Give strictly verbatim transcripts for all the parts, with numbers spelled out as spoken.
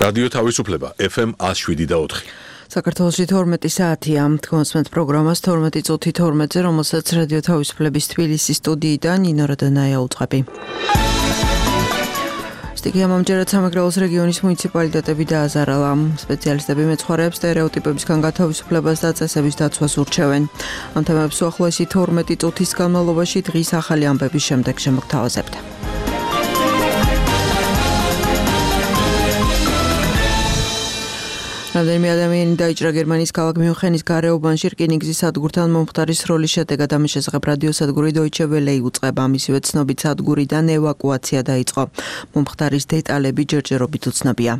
რადიო თავისუფლება ეფ ემ one oh seven და four. საქართველოში თორმეტი საათია. თქვენს პროგრამას თორმეტი წუთი თორმეტზე, რომელსაც რადიო თავისუფლების თბილისის სტუდიიდან ნინო რადონაია უწყები. სტიქიამ ამჯერად სამეგრელოს რეგიონის მუნიციპალიტეტები დააზარალა. სპეციალისტები მეცხვარეებს სტერეოტიპებისგან გათავისუფლებას და წესების დაცვას ურჩევენ. ამ თემებს უახლოესი თორმეტი წუთის განმავლობაში დღის ახალი ამბების შემდეგ შემოგთავაზებთ. რამდენიმე ადამიანი დაიჭრა გერმანიის ქალაქ მიუნხენის გარეუბანში რკინიგზის სადგურთან მომხდარის სროლის შედეგად ამის შესახებ რადიოსადგური Deutsche Welle იუწყება. მისივე ცნობით სადგურიდან ევაკუაცია დაიწყო. მომხდარის დეტალები ჯერჯერობით უცნობია.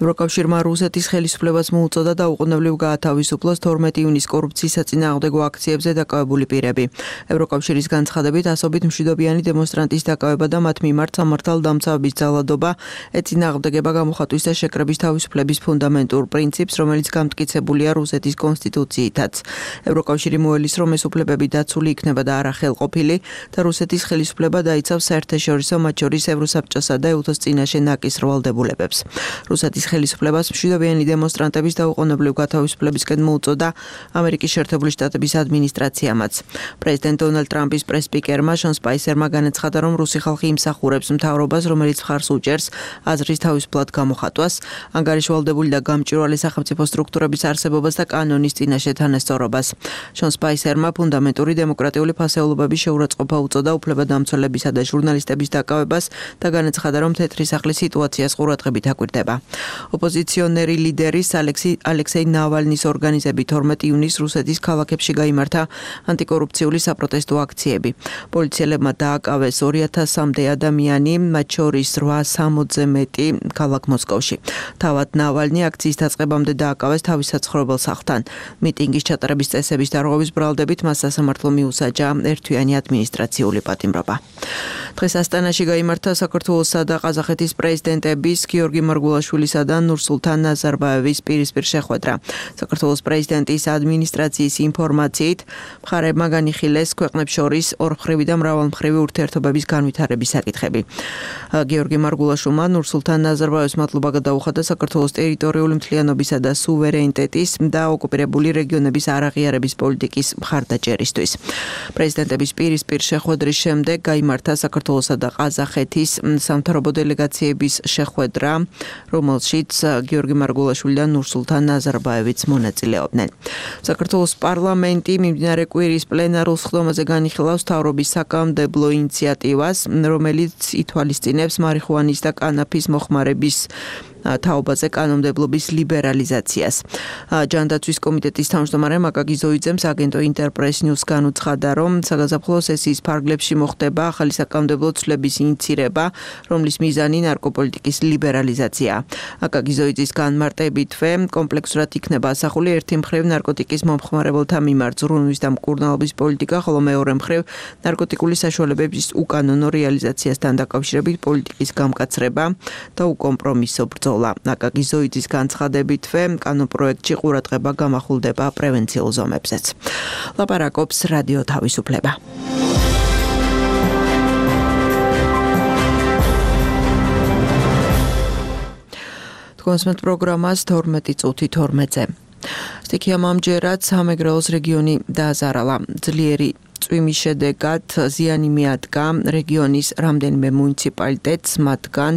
ევროკავშირმა რუსეთის ხელისუფლებას მოუწოდა დაუყოვნებლივ გაათავისუფლოს თორმეტი ივნისის კორუფციის საწინააღმდეგო აქციებზე დაკავებული პირები. ევროკავშირის განცხადებით ასობით მშვიდობიანი დემონსტრანტის დაკავება და მათ მიმართ სამართალდამცავების ძალადობა ეწინააღმდეგება გამოხატვის და შეკრების თავისუფლების ფუნდამენტურ პრინციპს, რომელიც გამტკიცებულია რუსეთის კონსტიტუციითაც. ევროკავშირი მოელის, რომ ეს უფლებები დაცული იქნება და არა ხელყოფილი და რუსეთის ხელისუფლება დაიცავს საერთაშორისო, მათ შორის ევროსაბჭოსა და ე-უთოს წინაშე ნაკისრ ვალდებულებებს. რუსეთის ხელისუფლებას მშვიდობიანი დემონსტრანტების დაუყოვნებლივ გათავისუფლებისკენ მოუწოდა ამერიკის შეერთებული შტატების ადმინისტრაციამაც. პრეზიდენტ დონალდ ტრამპის პრეს-სპიკერმა შონ სპაისერმა განაცხადა, რომ რუსი ხალხი იმსახურებს მთავრობას, რომელიც მხარს უჭერს აზრის თავისუფლად გამოხატვას, ანგარიშვალდებული და გამჭვირვალე სახელმწიფო სტრუქტურების არსებობას და კანონის წინაშე თანასწორობას. შონ სპაისერმა ფუნდამენტური დემოკრატიული ფასეულობების შეურაცხყოფა უწოდა უფლებადამცველებისა და ჟურნალისტების დაკავებას და განაცხადა, რომ თეთრი სახლის სიტუაციას ყურადღებით აკვირდება. ოპოზიციონერი ლიდერის ალექსეი ნავალნის ორგანიზებით თორმეტი ივნისს რუსეთის ქალაქებში გაიმართა ანტიკორუფციული საპროტესტო აქციები. პოლიციელებმა დააკავეს ორი ათასამდე ადამიანი, მათ შორის რვასამოცზე მეტი ქალაქ მოსკოვში. თავად ნავალნი აქციის დაწყებამდე დააკავეს თავის საცხოვრებელ სახლთან. მიტინგის ჩატარების წესების დარღვევის ბრალდებით მას სასამართლო მიუსაჯა ერთთვიანი ადმინისტრაციული პატიმრობა. დღეს ასტანაში გაიმართა საქართველოსა და ყაზახეთის პრეზიდენტების გიორგი მარგულაშვილისა და ნურსულთან ნაზარბაევის პირისპირ შეხვედრა. საქართველოს პრეზიდენტის ადმინისტრაციის ინფორმაციით, მხარეებმა განიხილეს ქვეყნებს შორის ორმხრივი და მრავალმხრივი ურთიერთობების განვითარების საკითხები. გიორგი მარგულაშვილმა ნურსულთან ნაზარბაევს მადლობა გადაუხადა საქართველოს ტერიტორიული მთლიანობისა და სუვერენიტეტის და ოკუპირებული რეგიონების არაღიარების პოლიტიკის მხარდაჭერისთვის. პრეზიდენტების პირისპირ შეხვედრის შემდეგ გაიმართა საქართველოსა და ყაზახეთის სამთავრობო დელეგაციების შეხვედრა, რომელშიც გიორგი მარგულაშვილი და ნურსულთან ნაზარბაევიც მონაწილეობდნენ. საქართველოს პარლამენტი მიმდინარე კვირის პლენარულ სხდომაზე განიხილავს მთავრობის საკანონმდებლო ინიციატივას, რომელიც ითვალისწინებს მარიხუანის და კანაფის მოხმარების თაობაზე კანონმდებლობის ლიბერალიზაციას. ჯანდაცვის კომიტეტის თავმჯდომარე მაკაკი ზოიძემ აგენტო ინტერპრეს ნიუს განუცხადა, რომ საგაზაფხულო სესიის ფარგლებში მოხდება ახალი საკანონმდებლო ცვლების ინიცირება, რომლის მიზანი ნარკოპოლიტიკის ლიბერალიზაციაა. მაკაკი ზოიძის განმარტებითვე კომპლექსურად იქნება ასახული ერთი მხრივ ნარკოტიკის მომხმარებელთა მიმართ ზრუნვის და მკურნალობის პოლიტიკა, ხოლო მეორე მხრივ ნარკოტიკული საშუალებების უკანონო რეალიზაციასთან დაკავშირებით პოლიტიკის გამკაცრება და უკომპრომისო ბრძოლა. მაკაკი ზოიძის განცხადებითვე კანონპროექტში ყურადღება გამახვილდება პრევენციულ ზომებზეც. ლაპარაკობს რადიო თავისუფლება. თქვენს პროგრამას თორმეტი წუთი თორმეტზე. სტიქიამ ამჯერად სამეგრელოს რეგიონი დააზარალა. ძლიერი წვიმის შედეგად ზიანი მიადგა რეგიონის რამდენიმე მუნიციპალიტეტს, მათგან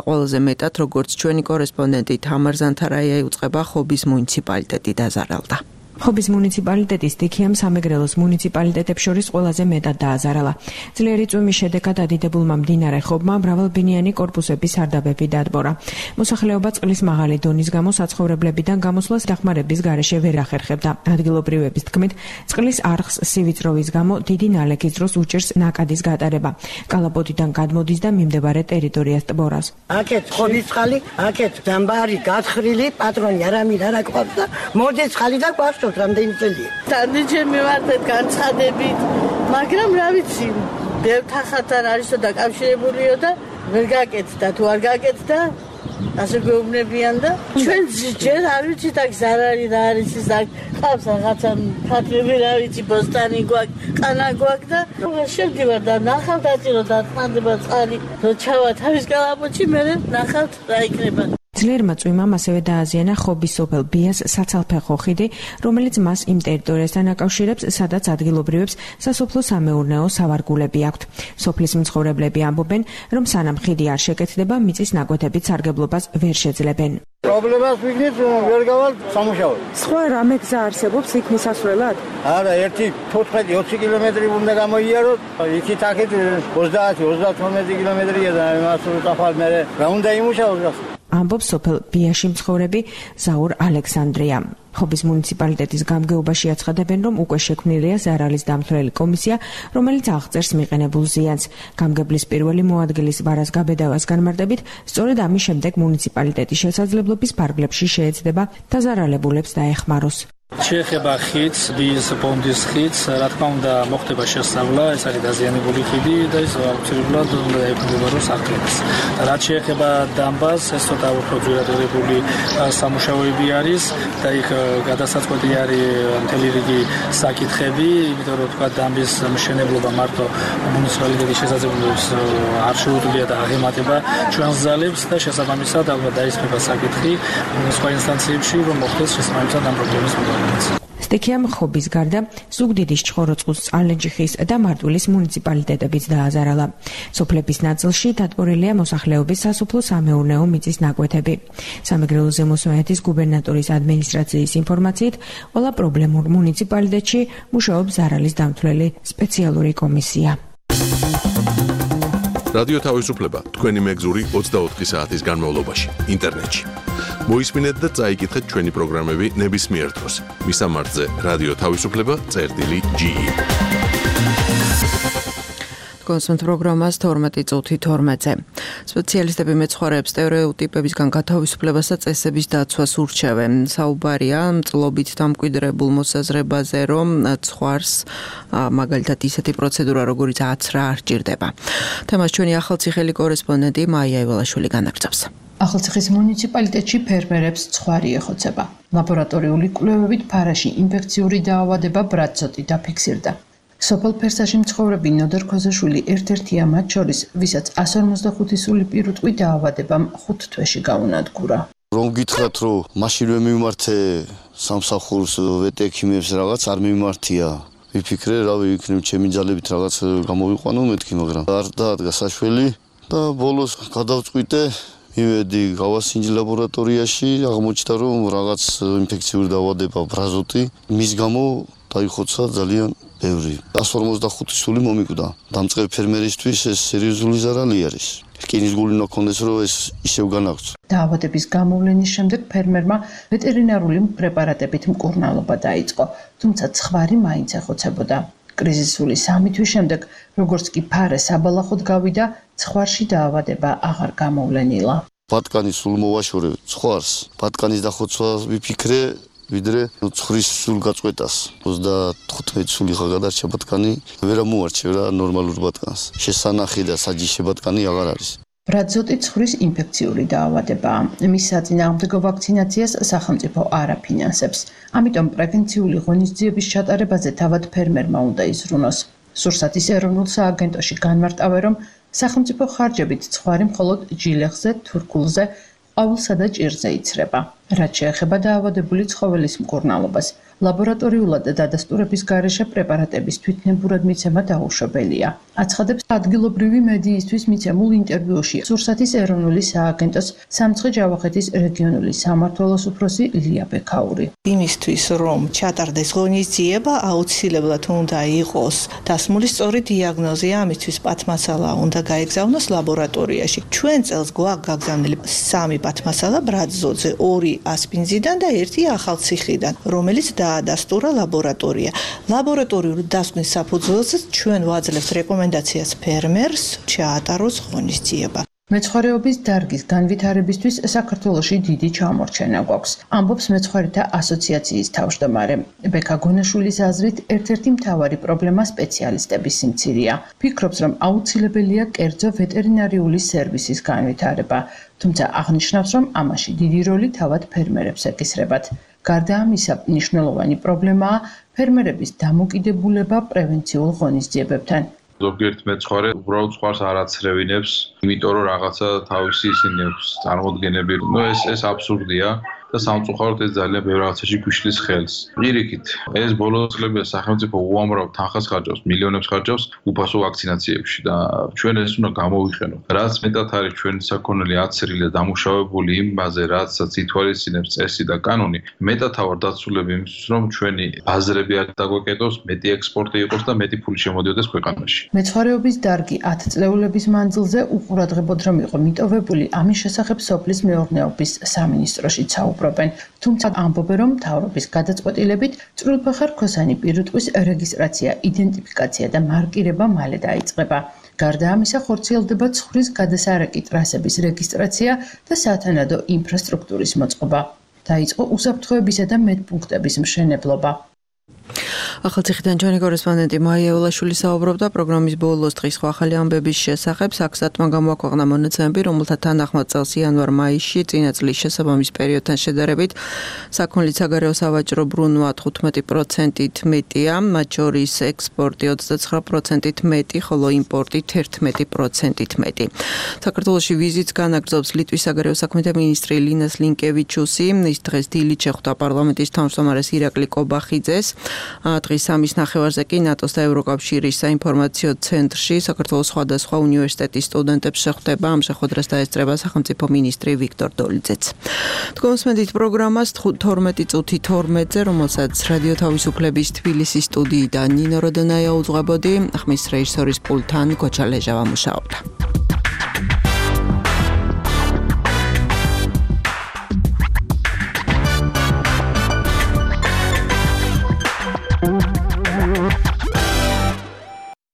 ყველაზე მეტად, როგორც ჩვენი კორესპონდენტი თამარ ზანთარაია იუწყება, ხობის მუნიციპალიტეტი დაზარალდა. ხობის მუნიციპალიტეტის სტიქიამ სამეგრელოს მუნიციპალიტეტებს შორის ყველაზე მეტად დააზარალა. ძლიერი წვიმის შედეგად ადიდებულმა მდინარე ხობმა მრავალბინიანი კორპუსების სარდაფები დადბორა. მოსახლეობა წყლის მაღალი დონის გამო საცხოვრებლებიდან გამოსვლას დახმარების გარეშე ვერ ახერხებდა. ადგილობრივების თქმით, წყლის არხს სივიწროვის გამო დიდი ნალექის დროს უჭერს ნაკადის გატარება. კალაპოტიდან გადმოდის და მიმდებარე ტერიტორიას ტბორას. აქეთ ხობის წყალი, აქეთ დამბარი გათხრილი, პატრონი არავინ არ აკყვავს და მოდის წყალი და გვაქვს რამდენი წელია. Თანდიჯერმე ვარდეთ განცხადებით, მაგრამ რა ვიცი, ბევრ თანხათთან არისო დაკავშირებულიო და ვერ გაკეთდა, თუ არ გაკეთდა, ასე გვეუბნებიან და ჩვენ ჯერ არ ვიცით აქ ზარარი რა არის ის აქ ყავს რაღაცა ფათები რა ვიცი ბოსტანი გვაქვს, ყანა გვაქვს და შევდივარ და ნახავ დაჭირო და წმანდება წყალი, რო ჩავა თავის კალაპოტში, მე ნახავთ რა იქნება. ძლიერმა წვიმამ ასევე დააზიანა ხობის სოფელ ბიას საცალფეხო ხიდი, რომელიც მას იმ ტერიტორიასთან აკავშირებს, სადაც ადგილობრივებს სასოფლო-სამეურნეო სავარგულები აქვთ. სოფლის მცხოვრებლები ამბობენ, რომ სანამ ხიდი არ შეკეთდება, მიწის ნაკვეთებით სარგებლობას ვერ შეძლებენ. პრობლემას ვიგნით ვერ გავალ სამუშაოდ. სხვა რამე გზა არსებობს იქ მისასვლელად? არა, ერთი თოთხმეტი ოცი კილომეტრი უნდა გამოიაროთ, იქით აქეთ ოცდაათი ოცდათორმეტი კილომეტრია და იმას უწაფალ მე რა უნდა იმუშაოს. ამბობს სოფელ ბიაში მცხოვრები ზაურ ალექსანდრია. ხობის მუნიციპალიტეტის გამგეობაში აცხადებენ, რომ უკვე შექმნილია ზარალის დამცველი კომისია, რომელიც აღწერს მიყენებულ ზიანს. გამგებლის პირველი მოადგილის ვარას გაბედავას განმარტებით, სწორედ ამის შემდეგ მუნიციპალიტეტის შესაძლებლობის ფარგლებში შეეცდება დაზარალებულებს დაეხმაროს. შეეხება ხიდს, ბიის პონდის ხიდს, რა თქმა უნდა, მოხდება შესწავლა, ეს არის დაზიანებული ხიდი და ის აუცილებლად უნდა ეფუძნებაროს აღდგენას. რაც შეეხება დამბას, ეს ცოტა უფრო ძვირადღირებული სამუშაოები არის და იქ გადასაწყვეტი არის მთელი რიგი საკითხები, იმიტომ რომ თქვა დამბის მშენებლობა მარტო მუნიციპალიტეტის შესაძლებლობებს არ შეუძლია და აღემატება ჩვენს ძალებს და შესაბამისად ალბათ დაისმება საკითხი სხვა ინსტანციებში, რომ მოხდეს შესაბამისად ამ პრობლემის მოგვარება. სტიქიამ ხობის გარდა ზუგდიდის ჩხოროწყუს, წალენჯიხის და მარტვილის მუნიციპალიტეტებიც დააზარალა. სოფლების ნაწილში დატბორილია მოსახლეობის სასოფლო-სამეურნეო მიწის ნაკვეთები. სამეგრელო ზემო სვანეთის გუბერნატორის ადმინისტრაციის ინფორმაციით, ყველა პრობლემურ მუნიციპალიტეტში მუშაობს ზარალის დამცველი სპეციალური კომისია. რადიო თავისუფლება თქვენი მეგზური ოცდაოთხი საათის განმავლობაში ინტერნეტში. მოისმინეთ და წაიკითხეთ ჩვენი პროგრამები ნებისმიერ დროს. მისამართზე რადიო თავისუფლება წერტილი ჯი ი. კონსულტ პროგრამას თორმეტი წუთი თორმეტზე. სპეციალისტები მეცხვარეებს სტერეოტიპებისგან გათავისუფლებას და წესების დაცვას ურჩევენ. საუბარია მწლობით დამკვიდრებულ მოსაზრებაზე, რომ ცხვარს მაგალითად ისეთი პროცედურა, როგორიც აცრა არ სჭირდება. თემას ჩვენი ახალციხელი კორესპონდენტი მაია ივალაშვილი განაგრძობს. ახალციხის მუნიციპალიტეტში ფერმერებს ცხვარი ეხოცება. ლაბორატორიული კვლევებით ფარაში ინფექციური დაავადება ბრატზოტი დაფიქსირდა. სოფელ ფერსაში მცხოვრები ნოდარ ქოზაშვილი ერთ-ერთია მათ შორის, ვისაც εκατს ორმოცდახუთი სული პირუტყვი დაავადებამ ხუთ თვეში გაუნადგურა. რომ გითხრათ, რომ მაშინვე მიმართე სამსახურს ვეტექიმებს რაღაც არ მიმართია. ვიფიქრე, რავი, იქნებ ჩემი ძალებით რაღაც გამოვიყვანო მეთქი, მაგრამ არ დაადგა საშველი და ბოლოს გადავწყვიტე მივედი გავასინჯი ლაბორატორიაში, აღმოჩნდა, რომ რაღაც ინფექციური დაავადება ბრაზოტი, მის გამო დაიხოცა ძალიან ბევრი. εκατს ორმოცდახუთი სული მომიკვდა. დამწყებ ფერმერისთვის ეს სერიოზული ზარალი არის. რკინის გული უნდა ქონდეს, რომ ეს ისევ განაგრძო. დაავადების გამოვლენის შემდეგ ფერმერმა ვეტერინარული პრეპარატებით მკურნალობა დაიწყო, თუმცა ცხვარი მაინც ეხოცებოდა. კრიზისული სამი თვის შემდეგ, როგორც კი ფარე საბალახოდ გავიდა, ცხვარში დაავადება აღარ გამოვლენილა. ბატკანის სულ მოვაშორე ცხვარს, ბატკანის დახოცვა ვიფიქრე, ვიდრე ცხვრის სულ გაწყვეტას. ოცდათხუთმეტი სული ხა გადარჩა ბატკანი, ვერა მოარჩევ რა ნორმალურ ბატკანს. შესანახი და საჯიში ბატკანი აღარ არის. ბრატზოტი ცხვრის ინფექციური დაავადებაა. მის საწინააღმდეგო ვაქცინაციას სახელმწიფო არ აფინანსებს. ამიტომ პრევენციული ღონისძიების ჩატარებაზე თავად ფერმერმა უნდა იზრუნოს. სურსათის ეროვნულ სააგენტოში განმარტავენ, რომ სახელმწიფო ხარჯებით ცხვარი მხოლოდ ჯილეხზე, თურქულზე, ყვავილსა და ჭირზე იცრება. რაც შეეხება დაავადებული ცხოველის მკურნალობას, ლაბორატორიულად დადასტურების გარეშე პრეპარატების თვითნებურად მიცემა დაუშვებელია. აცხადებს ადგილობრივი მედიისთვის მიცემულ ინტერვიუში სურსათის ეროვნული სააგენტოს სამცხე-ჯავახეთის რეგიონული სამმართველოს უფროსი ლია ბექაური. იმისთვის, რომ ჩატარდეს ღონისძიება, აუცილებლად უნდა იყოს დასმული სწორი დიაგნოზი, ამისთვის პათმასალა უნდა გაეგზავნოს ლაბორატორიაში. ჩვენ წელს გვაქვს გაგზავნილი სამი პათმასალა ბრატზოძე, ორი ასპინძიდან და ერთი ახალციხიდან, რომელიც დაადასტურა ლაბორატორია. ლაბორატორიული დასკვნის საფუძველზე ჩვენ ვაძლევთ რეკომენდაციას ფერმერს ჩაატაროს ღონისძიება. მეცხვარეობის დარგის განვითარებისთვის საქართველოში დიდი ჩამორჩენა გვაქვს, ამბობს მეცხვარეთა ასოციაციის თავმჯდომარე. ბექა გონაშვილის აზრით, ერთ-ერთი მთავარი პრობლემა სპეციალისტების სიმცირეა. ფიქრობს, რომ აუცილებელია კერძო ვეტერინარიული სერვისის განვითარება, თუმცა აღნიშნავს, რომ ამაში დიდი როლი თავად ფერმერებს ეკისრებათ. გარდა ამისა, მნიშვნელოვანი პრობლემაა ფერმერების დამოკიდებულება პრევენციულ ღონისძიებებთან. ზოგიერთ მეცხვარე უბრალოდ სხვას არ აცრევინებს, იმიტომ რომ რაღაცა თავისი ისინი აქვს წარმოდგენები. ნუ ეს ეს აბსურდია და სამწუხაროდ ეს ძალიან ბევრ რაღაცაში გვიშლის ხელს. პირიქით, ეს ბოლო წლებია სახელმწიფო უამრავ თანხას ხარჯავს, მილიონებს ხარჯავს უფასო ვაქცინაციებში და ჩვენ ეს უნდა გამოვიყენოთ. რაც მეტად არის ჩვენი საქონელი აცრილი და დამუშავებული იმაზე, რაცაც ითვალისწინებს წესი და კანონი, მეტად ვარ დაცულები იმისთვის, რომ ჩვენი ბაზრები არ დაგვეკეტოს, მეტი ექსპორტი იყოს და მეტი ფული შემოდიოდეს ქვეყანაში. მეცხვარეობის დარგი ათი წლეულების მანძილზე უყურადღებოდ რომ იყო მიტოვებული, ამის შესახებ სოფლის მეურნეობის სამინისტროში საუბრობენ. თუმცა ამბობენ, რომ მთავრობის გადაწყვეტილებით წვრილფეხა რქოსანი პირუტყვის რეგისტრაცია, იდენტიფიკაცია და მარკირება მალე დაიწყება. გარდა ამისა, ხორციელდება ცხვრის გადასარეკი ტრასების რეგისტრაცია და სათანადო ინფრასტრუქტურის მოწყობა. დაიწყო უსაფრთხოებისა და медპუნქტების მშენებლობა. ახალციხიდან ჩვენი კორესპონდენტი მაია ულაშვილი საუბრობდა პროგრამის ბოლოს დღის ახალი ამბების შესახებ. საქსტატმა გამოაქვეყნა მონაცემები, რომელთა თანახმად წელს იანვარ-მაისში წინა წლის შესაბამის პერიოდთან შედარებით საქონლის საგარეო სავაჭრო ბრუნვა თხუთმეტი პროცენტით მეტია, მათ შორის ექსპორტი ოცდაცხრა პროცენტით მეტი, ხოლო იმპორტი თერთმეტი პროცენტით მეტი. საქართველოში ვიზიტს განაგრძობს ლიტვის საგარეო საქმეთა მინისტრი ლინას ლინკევიჩუსი. ის დღეს დილით შეხვდა პარლამენტის თავმჯდომარეს ირაკლი კობახიძეს. დღის სამის ნახევარზე კი ნატოს და ევროკავშირის საინფორმაციო ცენტრში საქართველოს სხვადასხვა უნივერსიტეტის სტუდენტებს შეხვდება. ამ შეხვედრას დაესწრება სახელმწიფო მინისტრი ვიქტორ დოლიძეც. თქვენსმენდით პროგრამას თორმეტი წუთი თორმეტზე, რომელსაც რადიო თავისუფლების თბილისის სტუდიიდან ნინო როდონაია უძღვებოდი, ხმის რეჟისორის პულტთან გოჩა ლეჟავა მუშაობდა.